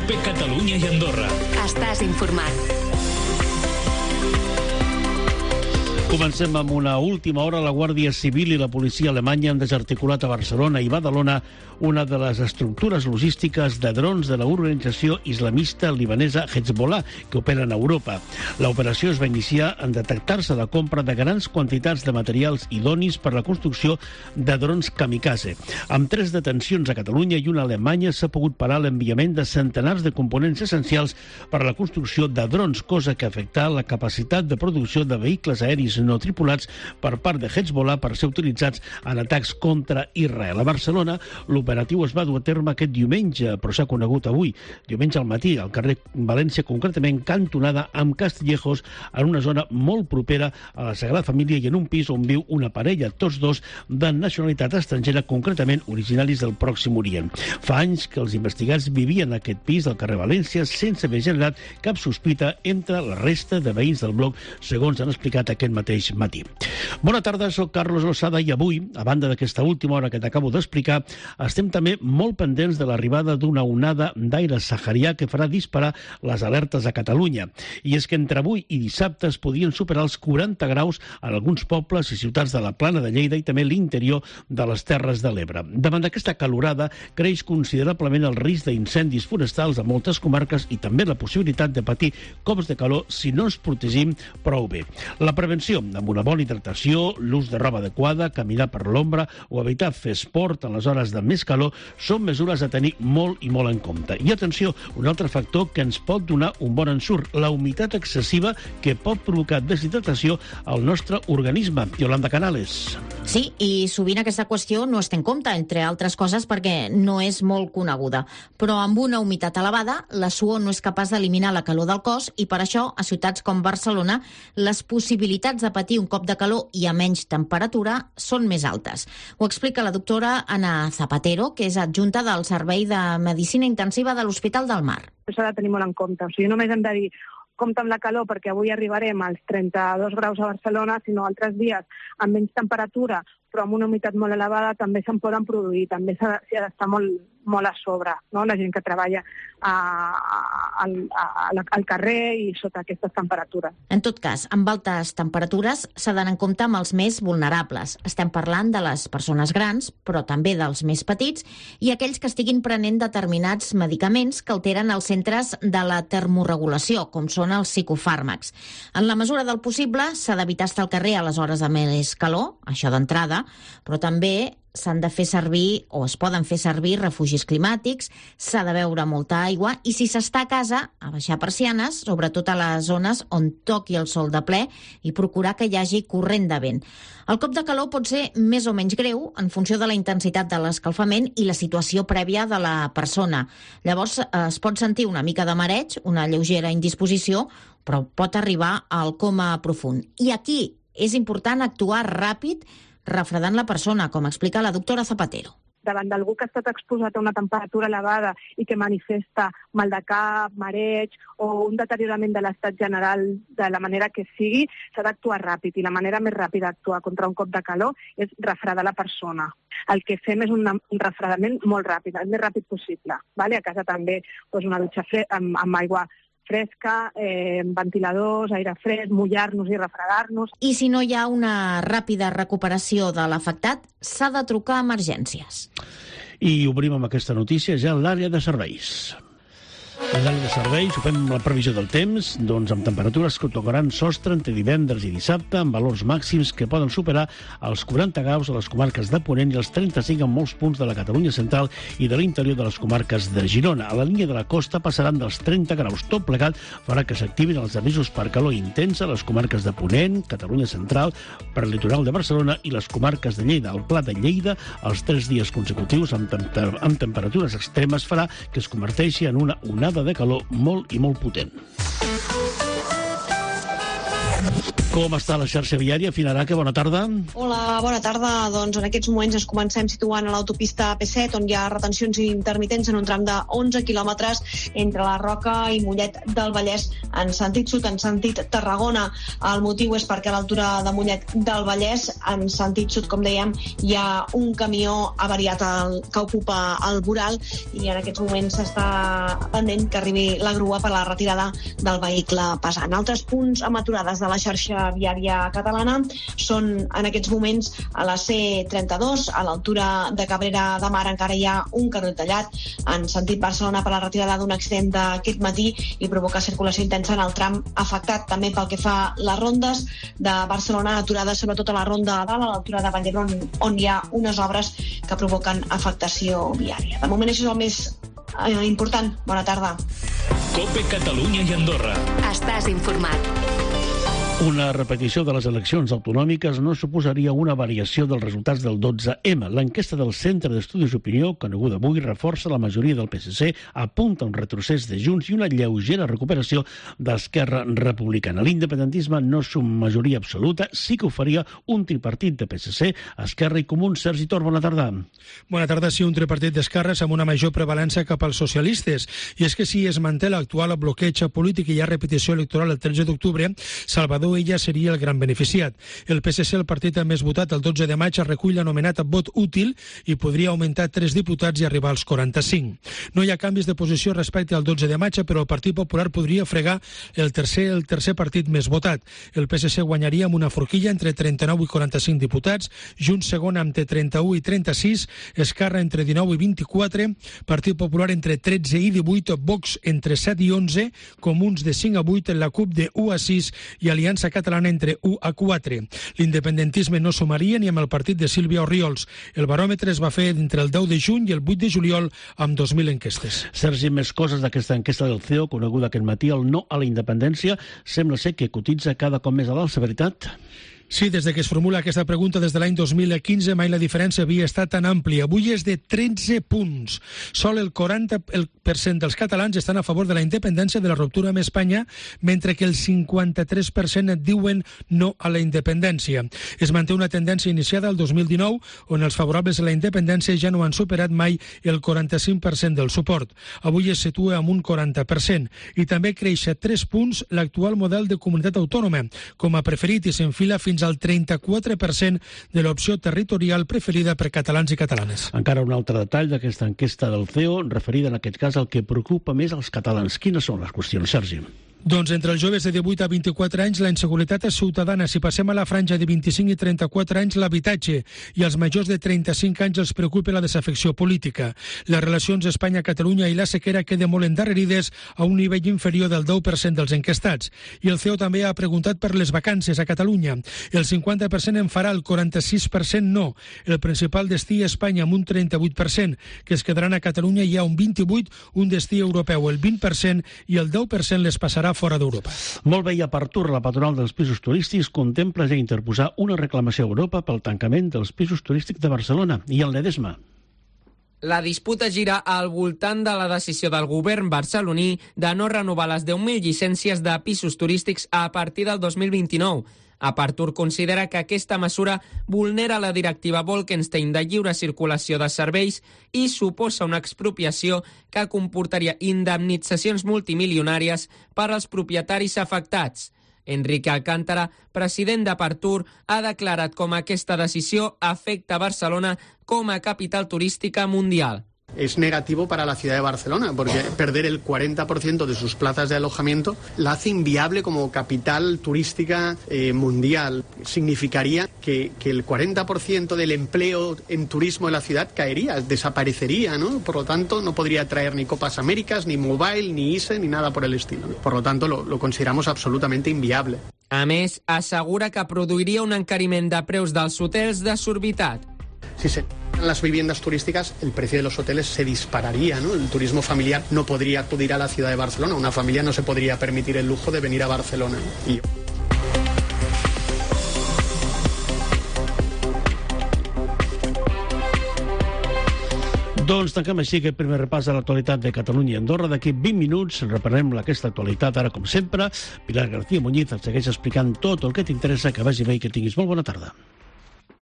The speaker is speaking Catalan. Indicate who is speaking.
Speaker 1: COPE Catalunya i Andorra.
Speaker 2: Estàs informat.
Speaker 3: Comencem amb una última hora. La Guàrdia Civil i la policia alemanya han desarticulat a Barcelona i Badalona una de les estructures logístiques de drons de l'organització islamista libanesa Hezbollah, que operen a Europa. L'operació es va iniciar en detectar-se la compra de grans quantitats de materials idonis per la construcció de drons kamikaze. Amb 3 detencions a Catalunya i una a Alemanya s'ha pogut parar l'enviament de centenars de components essencials per a la construcció de drons, cosa que ha afectat la capacitat de producció de vehicles aeris no tripulats per part de Hezbollah per ser utilitzats en atacs contra Israel. A Barcelona, l'operatiu es va dur a terme aquest diumenge, però s'ha conegut avui, diumenge al matí, al carrer València, concretament cantonada amb Castillejos, en una zona molt propera a la Sagrada Família i en un pis on viu una parella, tots dos de nacionalitat estrangera, concretament originaris del Pròxim Orient. Fa anys que els investigats vivien en aquest pis del carrer València sense haver generat cap sospita entre la resta de veïns del bloc, segons han explicat aquest mateix matí. Bona tarda, soc Carlos Losada i avui, a banda d'aquesta última hora que t'acabo d'explicar, estem també molt pendents de l'arribada d'una onada d'aire saharià que farà disparar les alertes a Catalunya. I és que entre avui i dissabte es podien superar els 40 graus en alguns pobles i ciutats de la Plana de Lleida i també l'interior de les Terres de l'Ebre. Davant d'aquesta calorada creix considerablement el risc d'incendis forestals a moltes comarques i també la possibilitat de patir cops de calor si no ens protegim prou bé. La prevenció, amb una bona hidratació, l'ús de roba adequada, caminar per l'ombra o evitar fer esport en les hores de més calor són mesures a tenir molt i molt en compte. I atenció, un altre factor que ens pot donar un bon ensurt, la humitat excessiva que pot provocar deshidratació al nostre organisme. Yolanda Canales.
Speaker 4: Sí, i sovint aquesta qüestió no es té en compte, entre altres coses perquè no és molt coneguda. Però amb una humitat elevada, la suor no és capaç d'eliminar la calor del cos i per això, a ciutats com Barcelona, les possibilitats de patir un cop de calor i a menys temperatura són més altes. Ho explica la doctora Ana Zapatero, que és adjunta del Servei de Medicina Intensiva de l'Hospital del Mar.
Speaker 5: S'ha de tenir molt en compte. O sigui, només hem de dir compte amb la calor perquè avui arribarem als 32 graus a Barcelona, sinó altres dies amb menys temperatura, però amb una humitat molt elevada també se'n poden produir, també s'ha d'estar molt a sobre, no? La gent que treballa al carrer i sota aquestes temperatures.
Speaker 4: En tot cas, amb altes temperatures s'ha d'anar en compte amb els més vulnerables. Estem parlant de les persones grans, però també dels més petits i aquells que estiguin prenent determinats medicaments que alteren els centres de la termorregulació, com són els psicofàrmacs. En la mesura del possible, s'ha d'evitar estar al carrer a les hores de més calor, això d'entrada, però també s'han de fer servir o es poden fer servir refugis climàtics, s'ha de beure molta aigua i si s'està a casa, a baixar persianes, sobretot a les zones on toqui el sol de ple i procurar que hi hagi corrent de vent. El cop de calor pot ser més o menys greu en funció de la intensitat de l'escalfament i la situació prèvia de la persona. Llavors es pot sentir una mica de mareig, una lleugera indisposició, però pot arribar al coma profund. I aquí és important actuar ràpid refredant la persona, com explica la doctora Zapatero.
Speaker 5: Davant d'algú que ha estat exposat a una temperatura elevada i que manifesta mal de cap, mareig o un deteriorament de l'estat general de la manera que sigui, s'ha d'actuar ràpid i la manera més ràpida d'actuar contra un cop de calor és refredar la persona. El que fem és un refredament molt ràpid, el més ràpid possible. Vale? A casa també una dutxa amb aigua fresca, ventiladors, aire fresc, mullar-nos i refredar-nos.
Speaker 4: I si no hi ha una ràpida recuperació de l'afectat, s'ha de trucar a emergències.
Speaker 3: I obrim amb aquesta notícia ja l'àrea de serveis. En l'àrea de serveis ho fem amb la previsió del temps, doncs amb temperatures que tocaran sostre entre divendres i dissabte, amb valors màxims que poden superar els 40 graus a les comarques de Ponent i els 35 en molts punts de la Catalunya central i de l'interior de les comarques de Girona. A la línia de la costa passaran dels 30 graus. Tot plegat farà que s'activin els avisos per calor intensa a les comarques de Ponent, Catalunya central, per el litoral de Barcelona i les comarques de Lleida. El Pla de Lleida, els 3 dies consecutius amb temperatures extremes farà que es converteixi en una onada de calor molt i molt potent. Com està la xarxa viària? Finaraca, bona tarda.
Speaker 1: Hola, bona tarda. Doncs en aquests moments ens comencem situant a l'autopista AP7, on hi ha retencions intermitents en un tram de 11 quilòmetres entre la Roca i Mollet del Vallès en sentit sud, en sentit Tarragona. El motiu és perquè a l'altura de Mollet del Vallès, en sentit sud, com dèiem, hi ha un camió avariat que ocupa el voral i en aquests moments s'està pendent que arribi la grua per la retirada del vehicle pesant. Altres punts amb aturades de la xarxa viària catalana són en aquests moments a la C32, a l'altura de Cabrera de Mar encara hi ha un carril tallat en sentit Barcelona per la retirada d'un accident d'aquest matí i provoca circulació intensa en el tram afectat. També pel que fa a les rondes de Barcelona, aturades sobretot a la ronda de dalt, a l'altura de Vall-d'Hebron, on hi ha unes obres que provoquen afectació viària. De moment això és el més important. Bona tarda.
Speaker 6: COPE Catalunya i Andorra.
Speaker 2: Estàs informat.
Speaker 3: Una repetició de les eleccions autonòmiques no suposaria una variació dels resultats del 12M. L'enquesta del Centre d'Estudis d'Opinió, coneguda avui, reforça la majoria del PSC, apunta un retrocés de Junts i una lleugera recuperació d'Esquerra Republicana. L'independentisme no és una majoria absoluta, sí que ho faria un tripartit de PSC, Esquerra i Comuns. Sergi Tor, bona tarda.
Speaker 7: Bona tarda, sí, un tripartit d'esquerres amb una major prevalença cap als socialistes. I és que si es manté l'actual bloqueig polític i hi ha repetició electoral el 13 d'octubre, Salvador ella seria el gran beneficiat. El PSC, el partit més votat el 12 de maig, recull l'anomenat vot útil i podria augmentar 3 diputats i arribar als 45. No hi ha canvis de posició respecte al 12 de maig, però el Partit Popular podria fregar el tercer partit més votat. El PSC guanyaria amb una forquilla entre 39 i 45 diputats, Junts segon entre 31 i 36, Esquerra entre 19 i 24, Partit Popular entre 13 i 18, Vox entre 7 i 11, Comuns de 5 a 8, la CUP de 1 a 6 i Aliança Catalana entre 1 a 4. L'independentisme no sumaria ni amb el partit de Sílvia Orriols. El baròmetre es va fer entre el 10 de juny i el 8 de juliol amb 2.000 enquestes.
Speaker 3: Sergi, més coses d'aquesta enquesta del CEO, coneguda aquest matí. El no a la independència sembla ser que cotitza cada cop més a l'alça, veritat?
Speaker 7: Sí, des de que es formula aquesta pregunta des de l'any 2015 mai la diferència havia estat tan àmplia. Avui és de 13 punts. Sol el 40% dels catalans estan a favor de la independència de la ruptura amb Espanya, mentre que el 53% diuen no a la independència. Es manté una tendència iniciada el 2019, on els favorables a la independència ja no han superat mai el 45% del suport. Avui es situa amb un 40%. I també creix a 3 punts l'actual model de comunitat autònoma, com a preferit, i s'enfila fins al 34% de l'opció territorial preferida per catalans i catalanes.
Speaker 3: Encara un altre detall d'aquesta enquesta del CEO, referida en aquest cas al que preocupa més als catalans. Quines són les qüestions, Sergi?
Speaker 7: Doncs entre els joves de 18 a 24 anys la inseguretat és ciutadana. Si passem a la franja de 25 i 34 anys, l'habitatge. I als majors de 35 anys els preocupa la desafecció política. Les relacions Espanya-Catalunya i la sequera queden molt endarrerides a un nivell inferior del 10% dels enquestats. I el CEO també ha preguntat per les vacances a Catalunya. El 50% en farà, el 46% no. El principal destí és Espanya amb un 38%, que es quedaran a Catalunya hi ha un 28%, un destí europeu el 20% i el 10% les passarà fora d'Europa.
Speaker 3: Molt bé, i a Partur, la patronal dels pisos turístics contempla ja interposar una reclamació a Europa pel tancament dels pisos turístics de Barcelona i el Ledesma.
Speaker 8: La disputa gira al voltant de la decisió del govern barceloní de no renovar les 10.000 llicències de pisos turístics a partir del 2029. Apartur considera que aquesta mesura vulnera la directiva Bolkestein de lliure circulació de serveis i suposa una expropiació que comportaria indemnitzacions multimilionàries per als propietaris afectats. Enrique Alcántara, president d'Apartur, ha declarat com aquesta decisió afecta Barcelona com a capital turística mundial.
Speaker 9: Es negativo para la ciudad de Barcelona, porque perder el 40% de sus plazas de alojamiento la hace inviable como capital turística mundial. Significaría que el 40% del empleo en turismo de la ciudad caería, desaparecería, ¿no? Por lo tanto, no podría traer ni Copas Américas, ni Mobile, ni ISE, ni nada por el estilo. Por lo tanto, lo consideramos absolutamente inviable.
Speaker 8: A més, assegura que produiria un encariment de preus dels hotels desorbitat.
Speaker 9: Si se las viviendas turísticas, el precio de los hoteles se dispararía, ¿no? El turismo familiar no podría acudir a la ciudad de Barcelona. Una familia no se podría permitir el lujo de venir a Barcelona, ¿no? Y...
Speaker 3: Doncs tanquem així aquest primer repàs de l'actualitat de Catalunya i Andorra. D'aquí 20 minuts reprenem aquesta actualitat. Ara, com sempre, Pilar García Muñiz et segueix explicant tot el que t'interessa. Que vagi bé i que tinguis molt bona tarda.